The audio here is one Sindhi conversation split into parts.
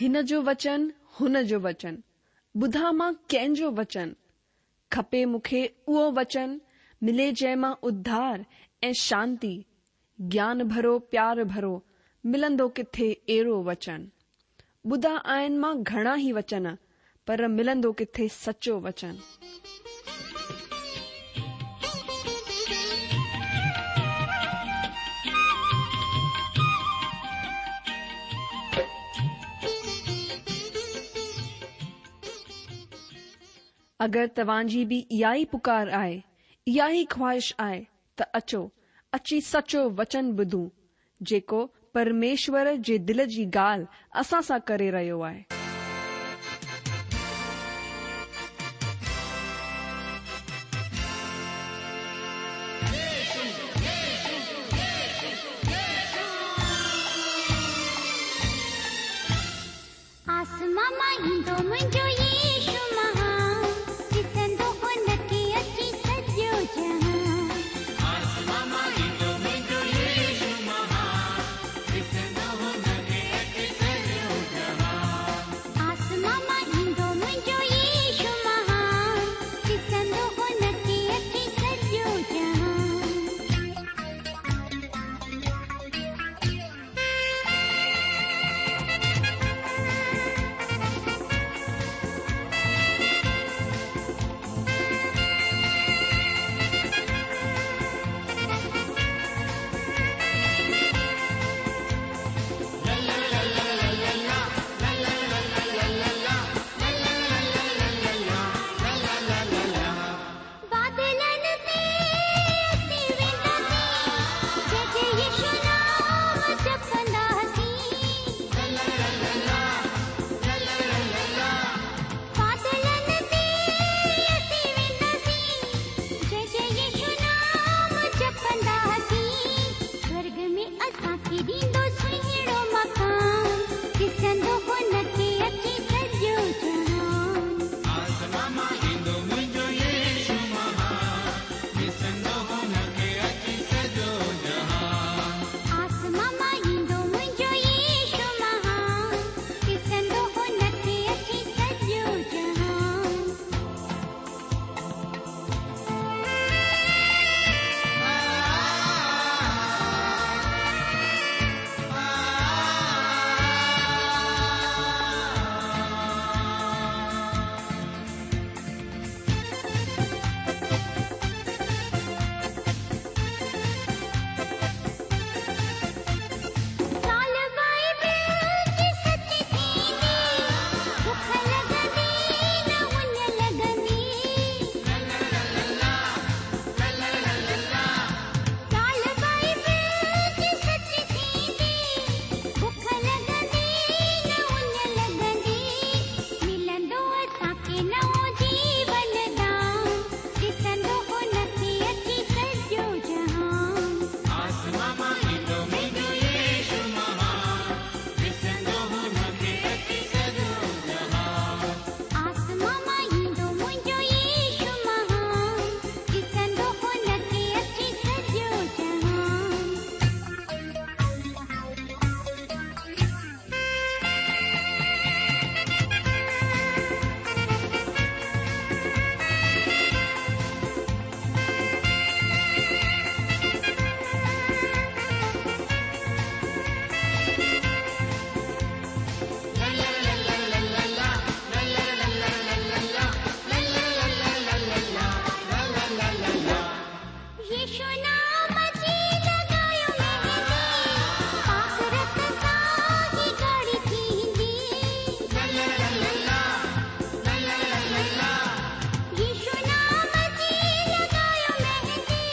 هن جو وچن، هن جو وچن، ٻڌان مان ڪنهن جو وچن؟ کپي مون کي اهو وچن، ملي جنهن مان اڌار ۽ شانتي، گيان ڀرو پيار ڀرو، ملندو ڪٿي اهڙو وچن؟ ٻڌا آهن مان گهڻا ئي وچن، پر ملندو ڪٿي سچو وچن؟ اگر توهان جي به اها ئي پڪار آهي، اها ئي خواهش آهي ته اچو، اچي سچو وچن ٻڌون، جيڪو پرميشور جي دل جي ڳالهه اسان سان ڪري رهيو آهي. آسمان مان ايندو منهنجو يسوع مهان، ڏسندو هن کي اچي سڄو جهان. آسمان مان ايندو منهنجو يسوع مهان، ڏسندو هن کي اچي سڄو جهان. آسمان مان ايندو منهنجو يسوع مهان، ڏسندو هن کي اچي سڄو جهان. بادلن تي اسين وينداسين، جئه جئه يسوع نام جپنداسين. بادلن تي اسين وينداسين، جئه جئه يسوع نام جپنداسين. سورڳ ۾ اسان کي ڏيندو سهڻو مڪان، ڏسندو هن کي اچي سڄو جهان. آسمان مان ايندو منهنجو يسوع مهان، ڏسندو هن کي اچي سڄو جهان. آسمان مان ايندو منهنجو يسوع مهان، ڏسندو هن کي اچي سڄو جهان. ڳالهه بائبل جي سچ ٿيندي، بک لڳندي نه اڃ لڳندي. ڳالهه بائبل جي سچ ٿيندي، بک لڳندي نه اڃ لڳندي. ملندو اسان کي نئون جيون دان، ڏسندو هن کي اچي سڄو جهان. آسمان مان ايندو منهنجو يسوع مهان، ڏسندو هن کي اچي سڄو جهان. آسمان مان ايندو منهنجو يسوع مهان، ڏسندو هن کي اچي سڄو جهان. يسوع نام جي لڳايو مهندي، پاڪ رت سان هي ڳاڙهي ٿيندي. يسوع نام جي لڳايو مهندي،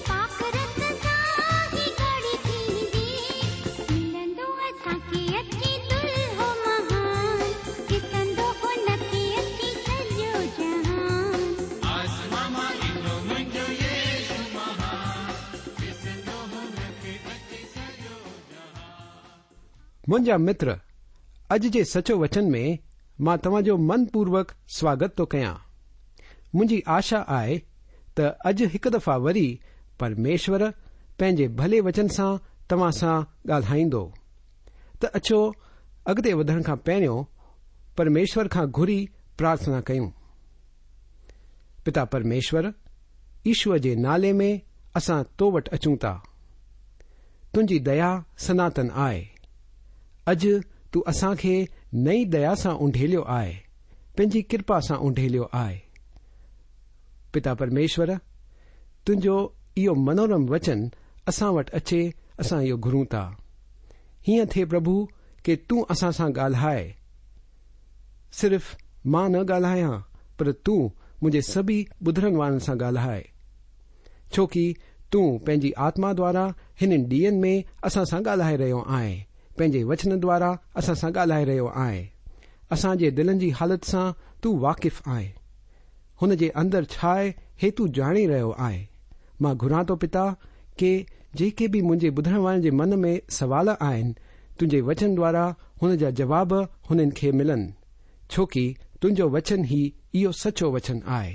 پاڪ رت سان هي ڳاڙهي ٿيندي. ملندو اسان کي اچي دلهو مهان، ڏسندو هن کي اچي سڄو جهان. آسمان مان ايندو منهنجو يسوع مهان، ڏسندو هن کي اچي سڄو جهان. منهنجا متر، اڄ جي سچو وچن ۾ مان توهان جو من پوروڪ سواگت ٿو ڪيان. منهنجي آشا آهي ته اڄ هڪ دفعا وري پرميشور پنهنجي ڀلي وچن سان توهان سان ڳالهائيندو. ته اچو اڳتي وڌڻ کان پهريون پرميشور کان گهري پرارٿنا ڪيون. پتا پرميشور، يشوء جي نالي ۾ اسان تو وٽ اچون ٿا. تنهنجي ديا سناتن آهي. اڄ تون اسان کي نئين ديا سان اونڍيليو آهي، پنهنجي ڪرپا سان اونڍيليو آهي. پتا پرميشور، تنهنجو اهو منورم وچن اسان وٽ اچي اسان اهو گهرون ٿا. هيئن ٿئي پرڀو ڪي تون اسان سان ڳالهاء. صرف مان نه ڳالهايان پر تون منهنجي سڀئي ٻڌڻ وارن سان ڳالهاء. ڇو ڪي تون پنهنجي آتما دوارا هنن ڏينهن ۾ اسان سان ڳالهائي رهيو آهين، پنهنجي وچن دوارا اسان سان ڳالهائي رهيو آهين. اسان جي دلن جي حالت سان تون واقف آهين. هن جي اندر ڇا آهي هي تون ڄاڻي رهيو آهين. مان گهران ٿو پتا ڪي جيڪي به منهنجي ٻڌڻ وارن جي من ۾ سوال آهن تنهنجي وچن دوارا هن جا جواب هنن کي ملن ڇو ڪي تنهنجو وچن ئي اهو سچو وچن آهي.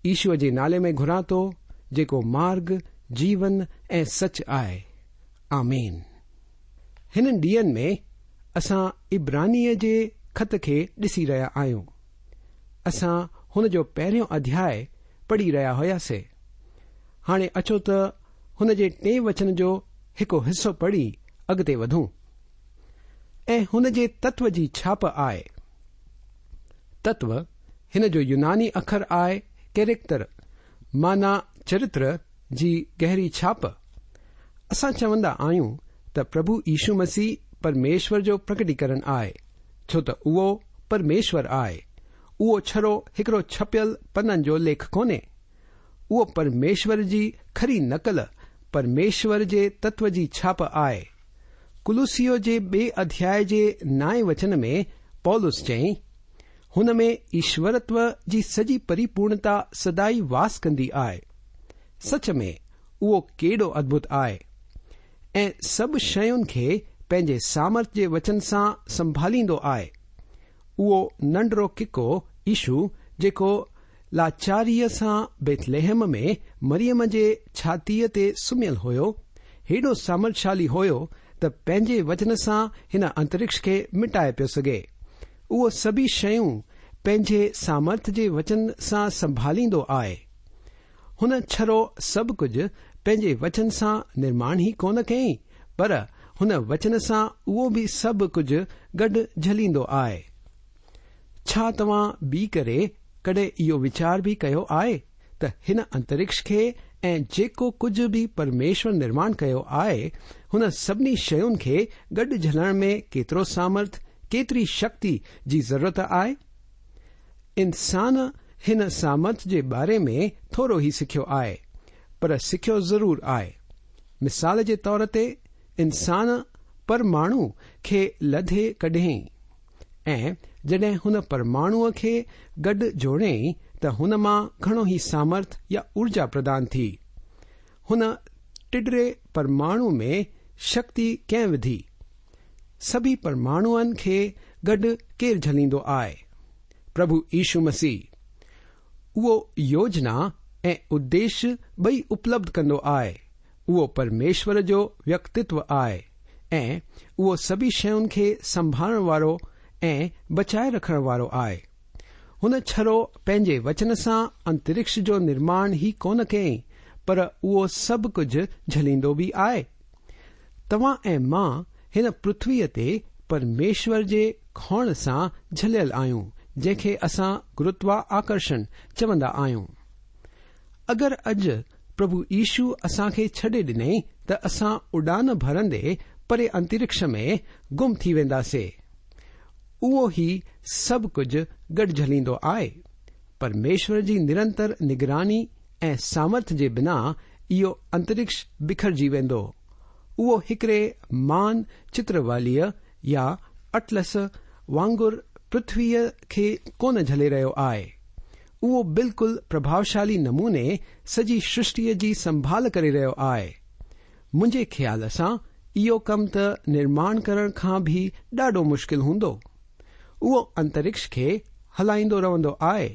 يشوء جي نالي ۾ گهران ٿو جيڪو مارگ، جيون ۽ سچ آهي. آمين. هنن ڏينهن ۾ اسان عبرانيء جي خط کي ڏسي رهيا آهيون. اسان هن جو پهريون اڌياء پڙهي رهيا هياسي. هاڻي اچو ته هن جي ٽئين وچن جو هڪ حصو پڙهي اڳتي وڌون. ۽ هن جي تتو جي ڇاپ آهي. تتو هن جو يوناني اکر آهي ڪيريڪٽر معنيٰ چرتر جي گهري ڇاپ. اسان چوندا آهيون ته پرڀو يشو مسيح پرميشور جو پرڪٽيڪرڻ آهي. ڇو ته اهو پرميشور آهي. اهو ڇڙو هڪڙو ڇپيل پنن جو ليک ڪونهي. اهو پرميشور جي کري نقل، پرميشور جي تتو جي ڇاپ آهي. ڪلسيو جي ٻئي اڌياء جي نائين وچن ۾ پولس چيائين، هن ۾ ايشورتو جي سڄي پريپورڻتا سدائي واس ڪندي آهي. سچ ۾ اهو ڪيڏو ادڀت آهي. ۽ سڀ شين کي پنهنجي سامرٿ جي وچن سان سنڀاليندو آهي. اهو ننڍڙو ڪڪو يشو جيڪو لاچاريء سان بيٿلحم ۾ مريم جي ڇاتيء تي سمهيل هيو، هيڏو سامرٿشالي هيو ته پنهنجي وچن سان هن انترڪش کي مٽائي پيو سگهي. اهو سڀئي شيون پنهنجي سامرٿ جي وچن سان سنڀاليندو آهي. هن ڇڙو سڀ ڪجهه پنهنجي وچن سان نرماڻ ئي ڪونه ڪيائين، پر هن وچن سان اهو به سڀ ڪجهه گڏ جهليندو آهي. ڇا توهان به ڪري ڪڏهن اهو ويچار به ڪيو آهي ته هن انترڪش کي ۽ جيڪو ڪجهه به پرميشور نرماڻ ڪيو آهي، هن سڀني شين کي گڏ جهلڻ ۾ ڪيترو سامرٿ، ڪيتري شڪتي جي ضرورت آهي؟ انسان هن سامرٿ جي باري ۾ ٿورو ئي سکيو آهي، پر سکيو ضرور آهي. مثال جي طور تي انسان پرماڻو کي لڌي ڪڍيائين ۽ جڏهن هن پرماڻوء کي گڏ جوڙيائين ته هن مان گهڻو ئي سامرٿ يا اورجا پردان ٿي. هن ٽڏري پرماڻو ۾ شڪتي ڪنهن وڌي؟ سڀئي پرماڻوئن کي گڏ ڪير جهليندو آهي؟ پرڀو يشو مسيح. اهو يوجنا ۽ اديش ٻئي اپلبڌ ڪندو آهي. اهو پرميشور جو ويڪتتو آهي ۽ اهو سڀئي شين کي سنڀالڻ وارو ۽ بچائي رکڻ وارو آهي. هن ڇڙو پنهنجي وچن سان انترڪش جو نرماڻ ئي ڪونه ڪيائين پر اهو سڀ ڪجهه جهليندو به آهي. توهان ۽ مان هن پرٿويء تي پرميشور جي کوڻ سان جهليل آهيون جنهن کي اسان گرتوا آڪرشڻ چوندا آهيون. اگر اڄ پرڀو يشو اسان کي ڇڏي ڏنئي ته اسان اڏان ڀرندي پري انترڪش ۾ گم ٿي وينداسي. اهو ئي سڀ ڪجهه گڏ جهليندو آهي. پرميشور جي نرنتر نگراني ۽ سامرٿ جي بنا اهو انترڪش بکرجي ويندو. اهو هڪڙي مان چتروليء يا اٽلس وانگر پرٿويء کي ڪونه جهلي رهيو آهي. اهو بلڪل پرڀاوشالي نموني سڄي سرشٽيء جي سنڀال ڪري رهيو آهي. منهنجي خيال سان اهو ڪم ته نرماڻ ڪرڻ کان به ڏاڍو مشڪل هوندو. اهو انترڪش کي هلائيندو رهندو آهي،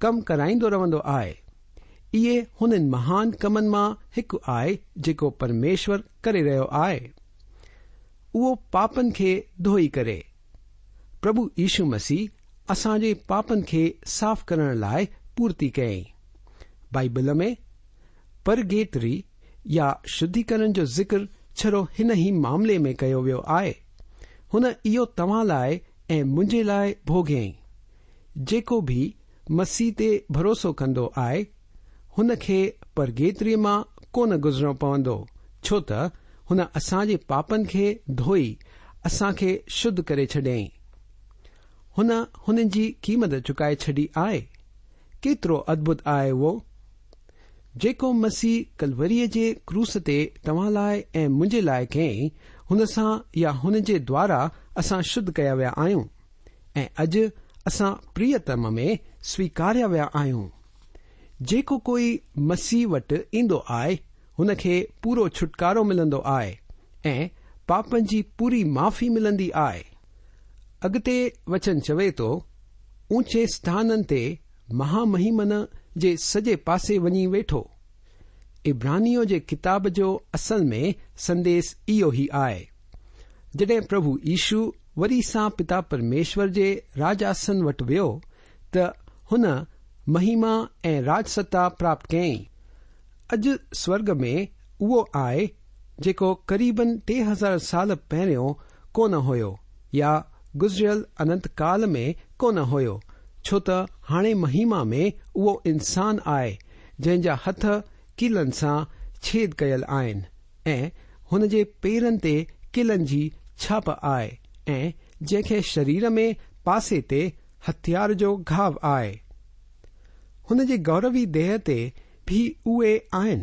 ڪم ڪرائيندو رهندو آهي. اهي هنن مهان ڪمن مان هڪ آهي جيڪو پرميشور ڪري رهيو آهي. اهو پاپن کي ڌوئي ڪري. پرڀو يشو مسيح اسان جي پاپن کي صاف ڪرڻ لاء پورتي ڪيائين. بائيبل ۾ پرگيٽري يا شڌيڪرڻ جو ذڪر ڇڙو هن ئي معاملي ۾ ڪيو ويو آهي. هن اهو توهان لاء ۽ منهنجي لاء ڀوڳيائين. جيڪو به مسيح تي ڀروسو ڪندو آهي، هن کي پرگيتري مان ڪونه گذرڻو پوندو، ڇو ته هن اسان جي پاپن کي ڌوئي اسان کي شڌ ڪري ڇڏيائين. هن هنن جي قيمت چڪائي ڇڏي آهي. ڪيترو ادڀت آهي اهو! جيڪو مسيح ڪلوريء جي ڪروس تي توهان لاء ۽ منهنجي لاء ڪيائين، هن سان يا هن جي دوارا اسان شڌ ڪيا ويا آهيون ۽ اڄ اسان پريتم ۾ سويڪاريا ويا آهيون. جيڪو ڪوئي مسيح وٽ ايندو آهي، هن کي پورو ڇوٽڪارو ملندو آهي ۽ پاپن جي پوري معافي ملندي آهي. اڳتي وچن چوي ٿو، اوچي اسٿانن تي مهامهيمن جي سڄي پاسي وڃي ويٺو. عبرانيون جي ڪتاب جو اصل ۾ سنديس اهو ئي آهي. جڏهن پرڀو يشو وري سان پتا پرميشور جي راج آسن وٽ ويو ته هن مهيما ۽ راج ستا پراپت ڪيائين. اڄ سورڳ ۾ اهو آهي جيڪو قريبن 3000 سال پهريون ڪونه هيو يا گذريل اننت ڪال ۾ ڪونه هيو ڇو ته هاڻي مهيما ۾ اهو انسان آهي جنهن جا هٿ ڪيلن سان ڇيد ڪيل آهن ۽ هن جي پيرن تي ڪلن جي ڇاپ آهي ۽ جنهن کي شرير ۾ پاسي تي هٿيار جو گهاء آهي. هن جي گوروي ديهه تي به اهي آهن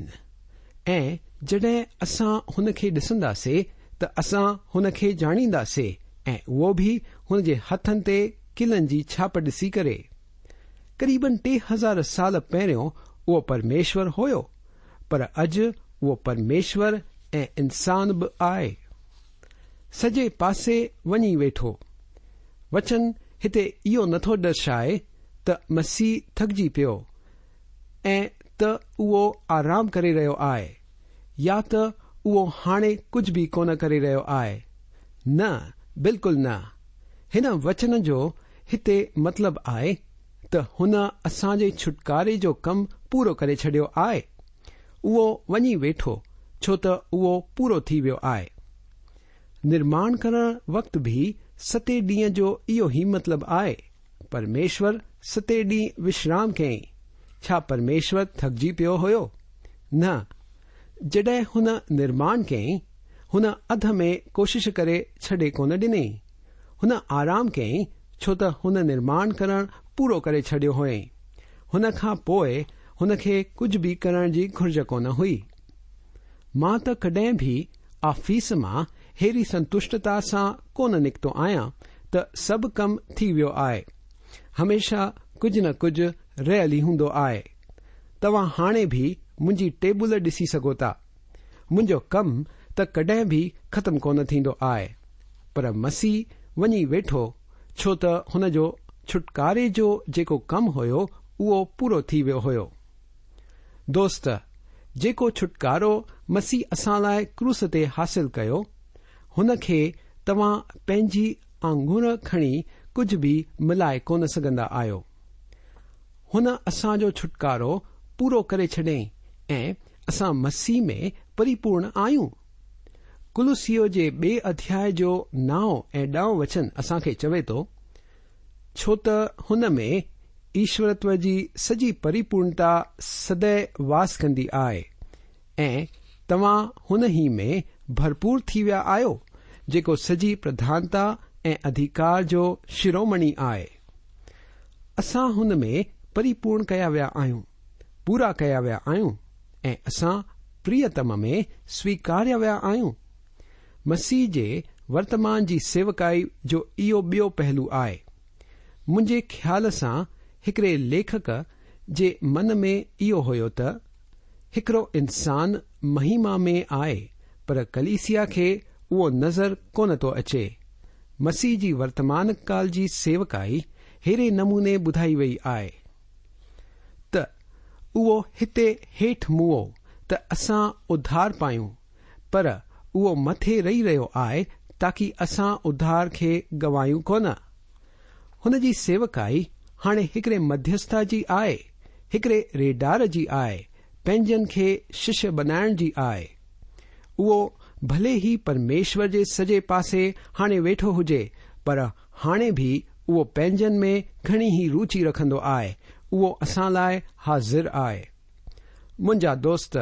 ۽ جڏهن اسان هن کي ڏسنداسي ته اسان هن کي ڄاڻينداسي ۽ اهو به هن جي هٿن تي ڪلن جي ڇاپ ڏسي ڪري. قريبن 3000 سال پهريون اهو پرميشور هيو پر اڄ اهو پرميشور ۽ انسان به آهي. سڄي پاسي وڃي ويٺو. وچن هتي اهو نٿو درشائي ته مسيح ٿڪجي پيو ۽ ته اهو آرام ڪري رهيو آهي يا ته اهو هاڻي ڪجهه به ڪونه ڪري رهيو آهي. نه، بلڪل نه. هن وچن جو هتي مطلب آهي ته هن اسان جي ڇوٽڪاري جو ڪم پورو ڪري ڇڏيو آهي. اهو وڃي ويٺو ڇو ته اهو پورو ٿي ويو آهي. نرماڻ ڪرڻ وقت به ستين ڏينهن جو اهو ئي مطلب آهي. پرميشور ستين ڏينهن وشرام ڪيائين. ڇا پرميشور ٿڪجي پيو هيو؟ نه. جڏهن هن نرماڻ ڪيائين، هن اڌ ۾ ڪوشش ڪري ڇڏي ڪونه ڏنائين. هن آرام ڪيائين ڇو ته هن نرماڻ ڪرڻ پورو ڪري ڇڏيو هئائين. هن کان پوء هن کي ڪجهه به ڪرڻ جي گهرج ڪونه هئي. مان ته ڪڏهن به آفيس مان ههڙي سنتشٽتا سان ڪونه نڪتو آهيان ته سڀ ڪم ٿي ويو آهي. هميشه ڪجهه نه ڪجهه رهيل ئي هوندو آهي. توهان هاڻي به منهنجي ٽيبل ڏسي سگهو ٿا. منهنجو ڪم ته ڪڏهن به ختم ڪونه ٿيندو آهي. پر مسيح وڃي ويٺو ڇو ته هن جو ڇوٽڪاري جو جيڪو ڪم هيو اهو پورو ٿي ويو هيو. دوست، جيڪو ڇوٽڪارو مسيح اسان لاء ڪروس تي حاصل ڪيو، هن کي توهان پنهنجي آڱر کڻي ڪجهه به ملائي ڪونه سگهندا آهيو. هن اسان جو ڇوٽڪارو پورو ڪري ڇڏيائين ۽ اسان مسيح ۾ پريپورڻ آهيون. ڪلسيو جي ٻئي اڌياء جو نائون ۽ ڏهون وچن اسان کي چوي ٿو، ڇو ته هن ۾ ايشورتو جي سڄي پريپورڻتا سدائين واس ڪندي آهي ۽ توهان هن ئي ۾ ڀرپور ٿي ويا آهيو، جيڪو سڄي پرڌانتا ۽ اڌيڪار جو شرومڻي آهي. اسان هن ۾ پريپورڻ ڪيا ويا آهيون، پورا ڪيا ويا آهيون ۽ اسان پريتم ۾ سويڪاريا ويا آهيون. مسيح جي ورتمان جي سيوڪائي جو اهو ٻيو پهلو آهي. منهنجي خيال سان هڪڙي ليکڪ جي من ۾ اهو هيو ته هڪڙو انسان مهيما ۾ آهي پر ڪليسيا کي اهو نظر ڪونه ٿو اچي. مسيح جي ورتمان ڪال جي سيوڪائي ههڙي نموني ٻڌائي وئي آهي ته اهو هتي هيٺ موئو ته اسان اڌار پايون پر اهو مٿي رهي رهيو آهي تاڪي اسان اڌار کي گوايون ڪونه. هن جي سيوڪائي هاڻي هڪڙي مڌيسٿا جي آهي، هڪڙي ريڍار جي آهي، پنهنجن کي ششيه بنائڻ جي آهي. اهو ڀلي ئي پرميشور جي سڄي پاسي هاڻي ويٺو هجي پر هاڻي به اهو پنهنجن ۾ گهڻي ئي روچي رکندو آهي، اهو اسان لاء حاضر آهي. منهنجا دوست،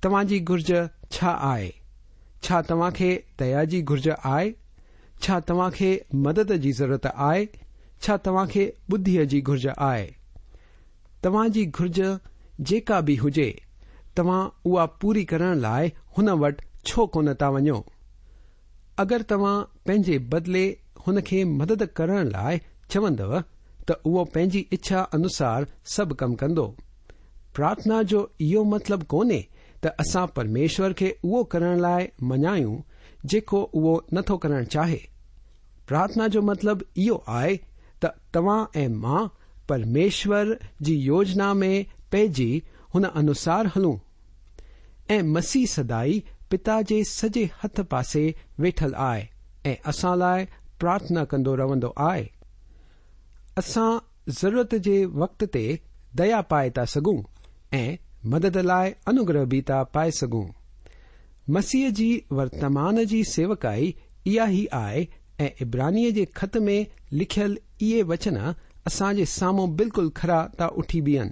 توهان جي گهرج ڇا آهي؟ ڇا توهان کي ديا جي گهرج آهي؟ ڇا توهان کي مدد جي ضرورت آهي؟ ڇا توهان کي ٻڌيء جي گهرج آهي؟ توهان جي گهرج جيڪا به هجي، توهان اها پوري ڪرڻ لاء هن وٽ ڇو ڪونه ٿا وڃو؟ اگر توهان پنهنجي بدلي هن کي مدد ڪرڻ لاء چوندؤ ته اهو پنهنجي اڇا انوسار سڀ ڪم ڪندو. پرارٿنا جو اهو مطلب ڪونهي ته اسان پرميشور کي اهو ڪرڻ لاء مڃايون جيڪو اهو نٿو ڪرڻ چاهي. پرارٿنا جو مطلب اهو آهي ته توهان ۽ مان پرميشور جي يوجنا ۾ پئجي هن انوسار هلون ۽ مسيح سدائي پتا جي سڄي هٿ پاسي ويٺل آهي ۽ اسان لاء پرارٿنا ڪندو رهندو آهي. اسان ضرورت جي وقت تي ديا پائي ٿا سگهون ۽ مدد لاء انوگره به ٿا پائي سگهون. مسيح جي ورتمان جي سيوڪائي اها ئي آهي ۽ عبرانيء جي خط ۾ لکيل اهي وچن اسان جي سامهون بلڪل کرا ٿا اٺي بيهن.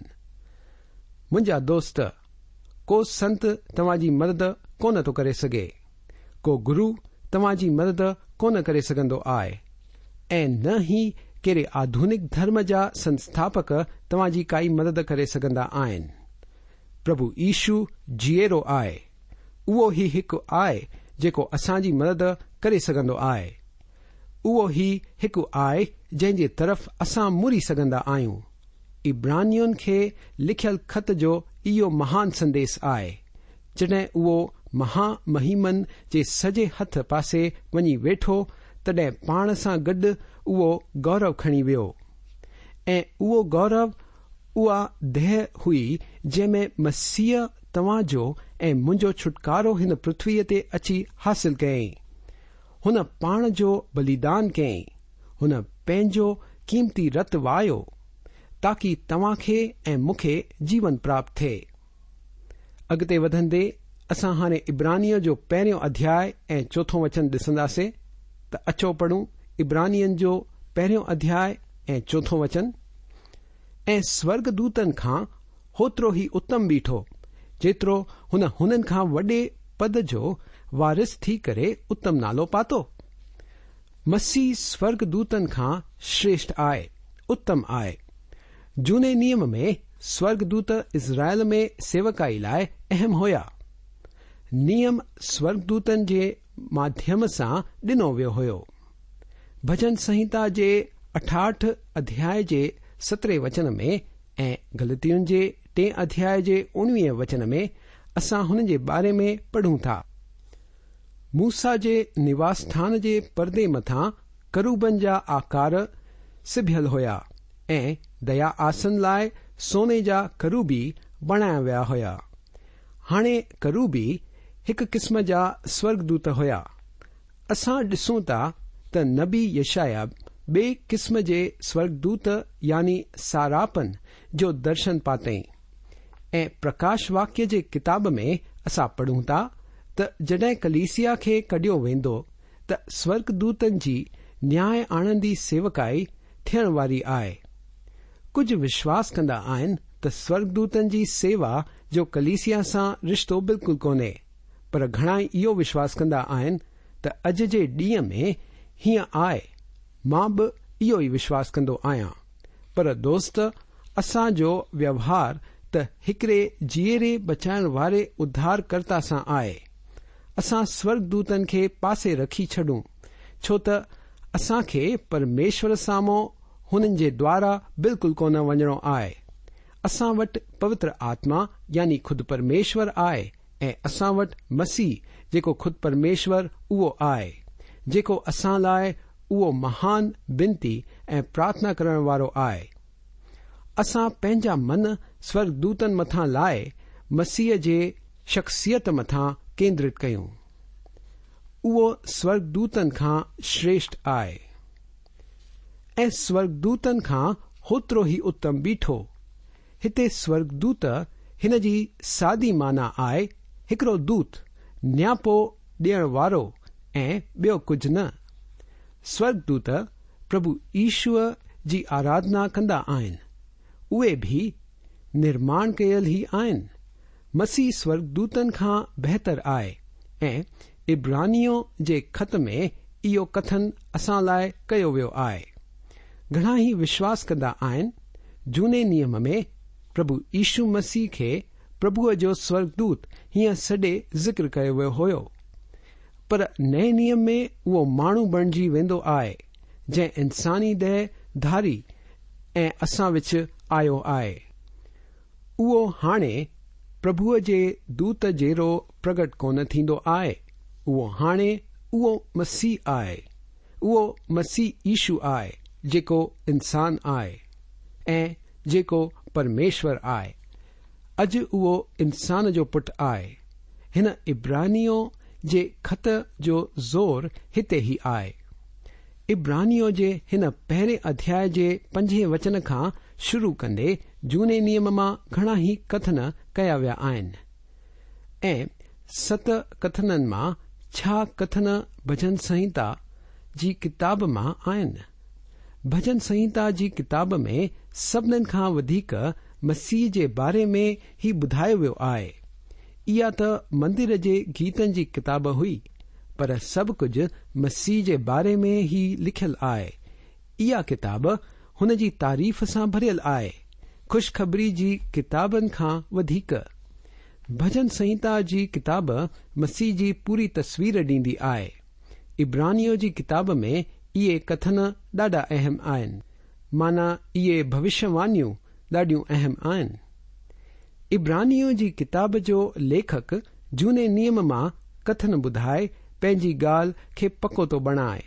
منهنجا دوست، ڪو سنت توهان جي مدد ڪونه ٿو ڪري سگهي. ڪو گرو توهان جي مدد ڪونه ڪري سگهندو آهي ۽ نه ئي ڪهڙي آڌونڪ ڌرم جا سنسٿاپڪ توهان جي ڪائي مدد ڪري سگهندا آهن. پرڀو يشو جيئرو آهي. اهو ئي هڪ آهي جيڪو اسان جي مدد ڪري سگهندو آهي. اهو ئي هڪ آهي جنهن جي طرف اسان مڙي سگهندا آهيون. عبرانين کي لکيل خط جو اهو مهان سنديس آهي. جڏهن اهو مها مهيمن جي سڄي هٿ پاسي وڃي ويٺو تڏهن پاڻ سان گڏ اهو گورو کڻي ويو ۽ اهو گورو اها ديهه هئي جنهن ۾ مسيح توهان جو ۽ منهنجو ڇوٽڪارو هن پرٿويء تي اچي حاصل ڪيائين. هن پاڻ جو بليدان ڪيائين. هن پنهنجو قيمتي رت وهايو، تاڪي توهان کي ۽ مون کي جيون پراپت ٿئي. اڳتي وڌندي اسان هاڻي عبرانين جو پهريون اڌياء ۽ چوٿون وچن ڏسنداسين ته اچو پڙهون عبرانين جو پهريون اڌياء ۽ چوٿون وچن، ۽ سورڳدوتن کان هوترو ئي اتم بيٺو، جيترو هن هنن کان وڏي پد جو وارث ٿي ڪري اتم نالو پاتو. مسيح سورڳدوتن کان شريشٺ آهي، اتم آهي. جهوني نيم ۾ سورڳدوت اسرائيل ۾ سيوڪائي لاء اهم هيا. نيم سورڳدوتن جي ماڌيم سان ڏنو ويو هيو. ڀڄن سنهتا جي 68 اڌياء جي سترهين وچن ۾ ۽ گلتين جي ٽئين اڌياء جي اڻويهين وچن ۾ اسان هن جي باري ۾ پڙهون ٿا. موسيٰ جي نواس ٿان جي پردي مٿان ڪروبن جا آڪار سبيل هيا ۽ ديا آسن لاء سوني جا ڪروبي بڻايا ويا هيا. هاڻي ڪروبي هڪ قسم جا سورڳدوت هيا. اسان ڏسون ٿا ته نبي يشعيا ٻئي قسم جي سورڳدوت يعني ساراپن جو درشن پاتئين ۽ پرڪاش واڪيه جي ڪتاب ۾ اسان پڙهون ٿا ته جڏهن ڪليسيا کي ڪڍيو ويندو ته سورڳدوتن جي نياء آڻندي سيوڪائي ٿيڻ واري آهي. ڪجهه وشواس ڪندا آهن ته سورڳدوتن جي سيوا جو ڪليسيا سان رشتو بلڪل ڪونهي، پر گهڻائي اهو وشواس ڪندا آهن ته اڄ جي ڏينهن ۾ هيئن آهي، مان به اهو ئي وشواس ڪندو آهيان. پر دوست اسان جو ويوهار ته هڪڙي جيئري بچائڻ واري اڌارڪرتا سان آهي. اسان سورڳدوتن کي پاسي رکي ڇڏون، ڇو ته اسان کي پرميشور سامهون هنن جي دوارا بلڪل ڪونه وڃڻو آهي. اسان وٽ پوتر آتما يعني خود پرميشور آهي ۽ اسان وٽ مسيح جيڪو خود پرميشور اهو آهي، جيڪو اسان لاء اهو مهان بنتي ۽ پرارٿنا ڪرڻ وارو آهي. اسان پنهنجا من سورڳدوتن مٿان لاهي مسيح جي شخصيت مٿان ڪيندرت ڪيون. اهو سورڳدوتن کان شريشٺ آهي ۽ سورڳدوتن کان هوترو ئي اتم بيٺو. هتي سورڳدوت هن جي سادي معنيٰ آهي هڪڙو دوت، نياپو ڏيڻ وارو ۽ ٻيو ڪجهه نه. سورڳدوت پرڀو يشوء جي آراڌنا ڪندا آهن. اهي به نرماڻ ڪيل ئي آهن. مسيح سورڳدوتن کان بهتر آهي ۽ عبرانيون جي خط ۾ اهو ڪٿن اسان لاء ڪيو ويو آهي. گهڻا ئي وشواس ڪندا آهن جهوني نيم ۾ پرڀو يشو مسيح کي پرڀوء جو سورڳدوت هيئن سڏي ذڪر ڪيو ويو هيو. پر نئين نيم ۾ اهو ماڻهو بڻجي ويندو آهي جنهن انساني ديهه ڌاري ۽ اسان وچ آيو آهي. اهو هاڻي پرڀوء جي دوت جهڙو پرگٽ ڪونه ٿيندو آهي، اهو هاڻي اهو مسيح آهي، اهو مسيح يشو آهي جيڪو انسان آهي ۽ جيڪو پرميشور آهي. اڄ اهو انسان جو پٽ آهي. هن عبرانيون جي خط جو زور هتي ئي آهي. عبرانيون جي هن پهرين اڌياء جي پنجين وچن کان شروع ڪندي جهوني نيم مان گهڻا ئي ڪٿن ڪيا ويا آهن ۽ ست ڪٿنن مان ڇهه ڪٿن ڀڄن سنهتا جي ڪتاب مان آهن. ڀڄن سنهتا جي ڪتاب ۾ سڀنن کان وڌيڪ مسيح جي باري ۾ ئي ٻڌايو ويو آهي. اها ته مندر جي گيتن جي ڪتاب هئي، پر سڀ ڪجهه مسيح جي باري ۾ ئي لکيل آهي. اها ڪتاب هن جي تعريف سان ڀريل آهي، خوشخبري جي ڪتابن کان وڌيڪ. ڀڄن سنهتا جي ڪتاب مسيح جي پوري تصوير ڏيندي آهي. عبرانيون جي ڪتاب ۾ اهي ڪٿن ڏاڍا اهم آهن، معنيٰ اهي ڀوشيواڻيون ڏاڍيون اهم آهن. عبرانيون جي ڪتاب جو ليکڪ جهوني نيم مان ڪٿن ٻڌائي پنهنجي ڳالهه کي پڪو ٿو بڻائي.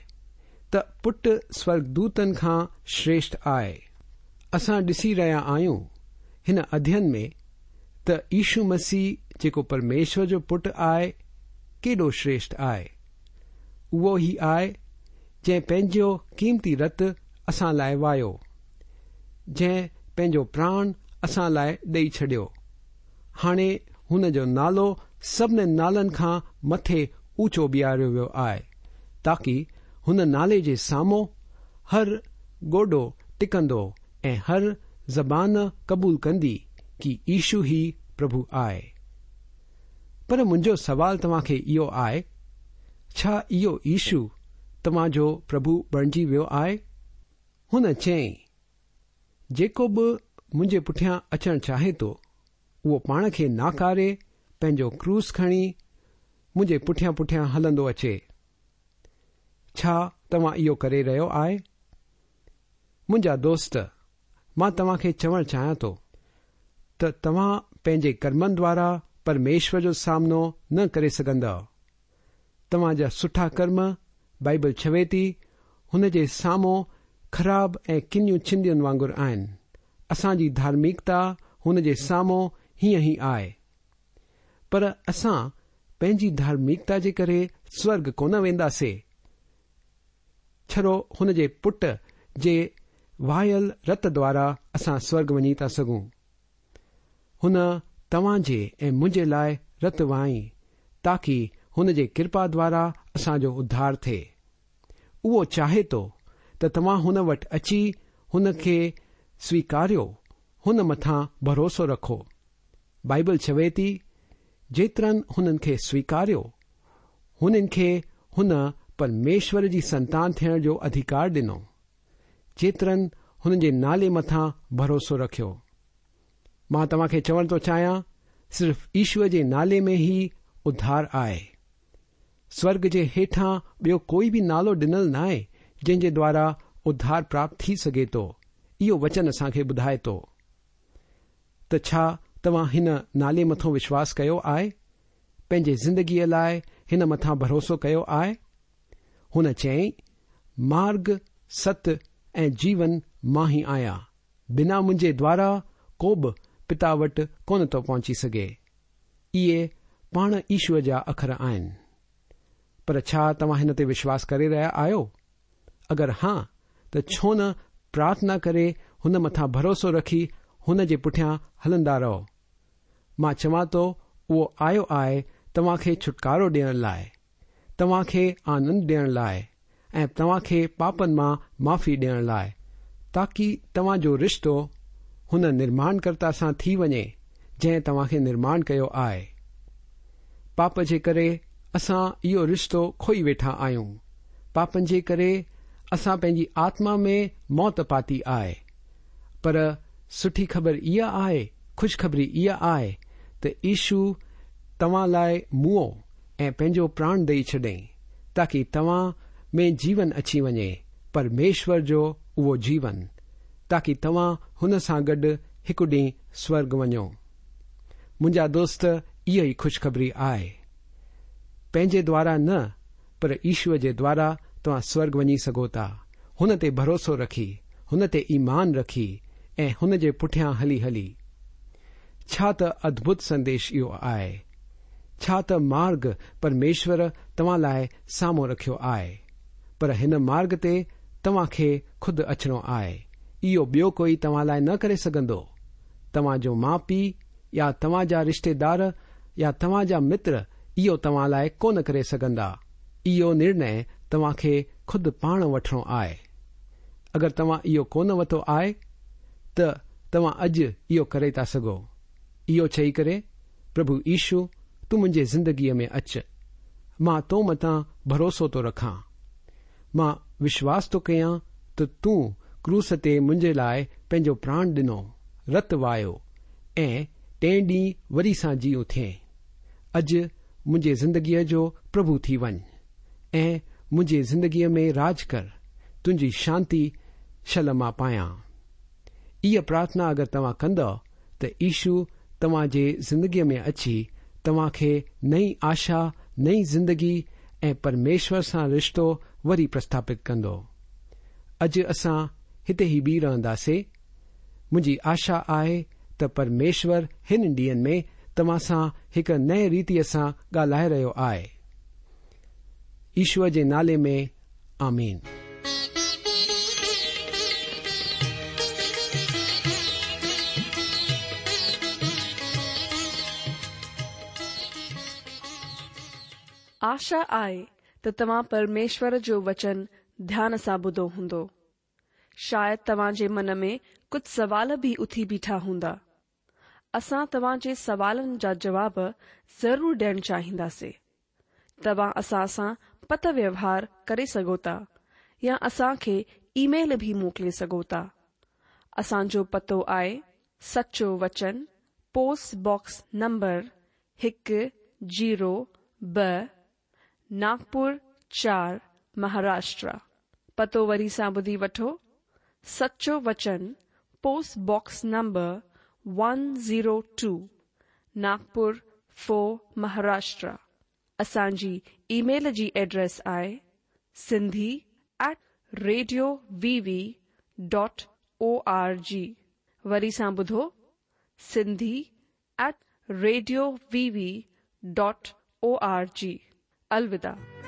ته پٽ سورڳدوتن کان شريشٺ آهي. اسان ڏسي رهيا آهيون هن اڌين ۾ ته يشو مسيح جيڪو پرميشور جو پٽ آهي ڪيڏو شريشٺ آهي. اهو ئي آهي جنهن پنهنجو قيمتي رت اسان لاء وهايو، جنهن پنهنجو پراڻ اسان لاء ڏئي ڇڏيو. هاڻي هن جو نالو سڀني نالن کان مٿي اوچو بيهاريو ويو آهي، تاڪي هن نالي جي سامهون هر گوڏو ٽڪندو ۽ هر زبان قبول ڪندي ڪي يشو ئي پرڀو آهي. پر منهنجو سوال توهان کي اهو آهي، ڇا اهو يشو توهان جو پرڀو بڻجي ويو آهي؟ هن چيائين، جيڪو به منهنجي پٺيان اچڻ چاهي ٿو، اهو پاڻ کي ناڪاري، پنهنجو ڪروس کڻي، منهنجي پٺيان پٺيان هلندو اچي. ڇا توهان اهو ڪري رهيو آهي؟ منهنجا دوست، مان توهان کي چوڻ چاهيان ٿو ته توهان پنهنجي ڪرمن دوارا پرميشور جو سامنو نه ڪري سگهندؤ. توهان جا سٺا ڪرم، بائيبل چوي ٿي، هن جي سامهون خراب ۽ ڪنيون چنڊين وانگر آهن. اسان جي ڌارمڪتا هن جي سامهون هيئن ئي آهي. پر اسان پنهنجي ڌارمڪتا جي ڪري سورڳ ڪونه وينداسي. ڇڙو هن جي پٽ جي وهايل رت دوارا اسان سورڳ وڃي ٿا سگهون. هن توهان جي ۽ منهنجي لاء رت وهائين تاڪي هن جي ڪرپا دوارا اسان جو اڌار ٿئي. اهو چاهي ٿو ته توهان هن وٽ اچي هن کي سويڪاريو، هن مٿان ڀروسو رکو. بائيبل چوي ٿي، جيترن هنن کي سويڪاريو، هنن کي هن پرميشور جي سنتان ٿيڻ جو اڌيڪار ڏنو. جيترن هن جي نالي مٿان ڀروسو رکيو. مان توهان کي چوڻ ٿو چاهيان، صرف يشوء جي نالي ۾ ئي اڌار آهي. سورڳ جي هيٺان ٻيو ڪوئي به نالو ڏنل ناهي جنهن جي دوارا اڌار پراپت ٿي سگهي ٿو، اهو وچن اسان کي ٻڌائي ٿو. ته ڇا توهان هن نالي مٿان وشواس ڪيو آهي؟ پنهنجي زندگيء لاء هن مٿان ڀروسو ڪيو آهي؟ هن چيائين، مارڳ، ست ۽ جيون مان ئي آهيان، بنا منهنجي دوارا ڪو به پتا وٽ ڪونه ٿو پهچي سگهي. اهي پاڻ يشوء جا اکر آهن. پر ڇا توهان هن تي وشواس ڪري رهيا آهيو؟ اگر ها ته ڇو نه پرارٿنا ڪري هن مٿان ڀروسو رکي هن جي پٺيان هلندا رهو. مان چوان ٿو اهو آيو آهي توهان کي ڇوٽڪارو ڏيڻ لاء، توهان کي آنند ڏيڻ لاء ۽ توهان کي پاپن مان معافي ڏيڻ لاء، تاڪي توهان جو رشتو هن نرماڻڪرتا سان ٿي وڃي جنهن توهان کي نرماڻ ڪيو آهي. پاپ جي ڪري اسان اهو رشتو کوئي ويٺا آهيون. پاپن جي ڪري اسان پنهنجي آتما ۾ موت پاتي آهي. پر سٺي خبر اها آهي، خوشخبري اها آهي ته يشو توهان لاء موئو ۽ پنهنجو پراڻ ڏئي ڇڏيائين تاڪي توهان ۾ جيون اچي وڃي، پرميشور جو اهو جيون، تاڪي توهان هن سان گڏ هڪ ڏينهن سورڳ وڃو. منهنجا دوست اها ئي خوشخبري آهي. پنهنجي دوارا نه پر يشوء جي دوارا توهان سورڳ وڃي سگهو ٿا، هن تي ڀروسو رکي، هن تي ايمان رکي ۽ هن جي پٺيان هلي هلي. ڇا ته ادڀت سنديش اهو آهي. ڇا ته مارگ پرميشور توهان لاء سامهون رکيو آهي. پر هن مارگ تي توهان کي خود اچڻو آهي. اهو ٻيو ڪوئي توهان لاء نه ڪري سگهندو. توهان جو ماء پيء يا توهان جا رشتيدار يا توهان جا متر اهو توهان لاء ڪونه ڪري سگهندا. اهو نرڻي توهان کي خود پاڻ وٺڻو آهي. اگر توهان اهو ڪونه وتو آهي ته توهان اڄ اهو ڪري ٿا سگهو. اهو چئي ڪري، پرڀو يشو تون منهنجي زندگيء ۾ اچ. مان تو مٿان ڀروسو ٿو رکان. مان وشواس ٿو ڪيان ته تون ڪروس تي منهنجي لاء پنهنجو پراڻ ڏنو، رت وهايو ۽ ٽئين ڏينهن وري سان جي اٿئين. اڄ منهنجي زندگيء جو پرڀو ٿي وڃ ۽ منهنجي زندگيء ۾ راڄ ڪر، تنهنجي شانتي شل مان پايان. اها پرارٿنا اگر توهان ڪندؤ ته يشو توهان جي زندگيء ۾ اچي توهان کي نئين آشا، نئين زندگي ۽ پرميشور سان رشتو وري پرسٿاپت ڪندو. اڄ اسان هتي ئي بيهي رهنداسي. منهنجي آشا آهي ته پرميشور هن ڏينهن ۾ توهان سان هڪ نئين ريتيء سان ڳالهائي رهيو آهي. يشوء جي نالي ۾ آمين. آشا آهي ته توهان پرميشور جو وچن ڌيان سان ٻڌو هوندو. شايد توهان جي من ۾ ڪجهه سوال به اٿي بيٺا هوندا. اسان توهان جي سوالن جا جواب ضرور ڏيڻ چاهينداسي. توهان اسان سان پتر ويوهار ڪري سگهو ٿا يا اسان کي اي ميل به موڪلي سگهو ٿا. اسان جو پتو آهي سچو وچن پوسٽ باڪس نمبر هڪ زيرو ٻه ناگپور چار مهاراشٽرا. پتو وري سان ٻڌي وٺو سچو وچن post box number one zero two Nagpur four Maharashtra. اسان جي اي ميل جي ايڊريس آهي Sindhi at radio V V dot O R G وري سان ٻڌو Sindhi at radio V V dot O R G. الوداع.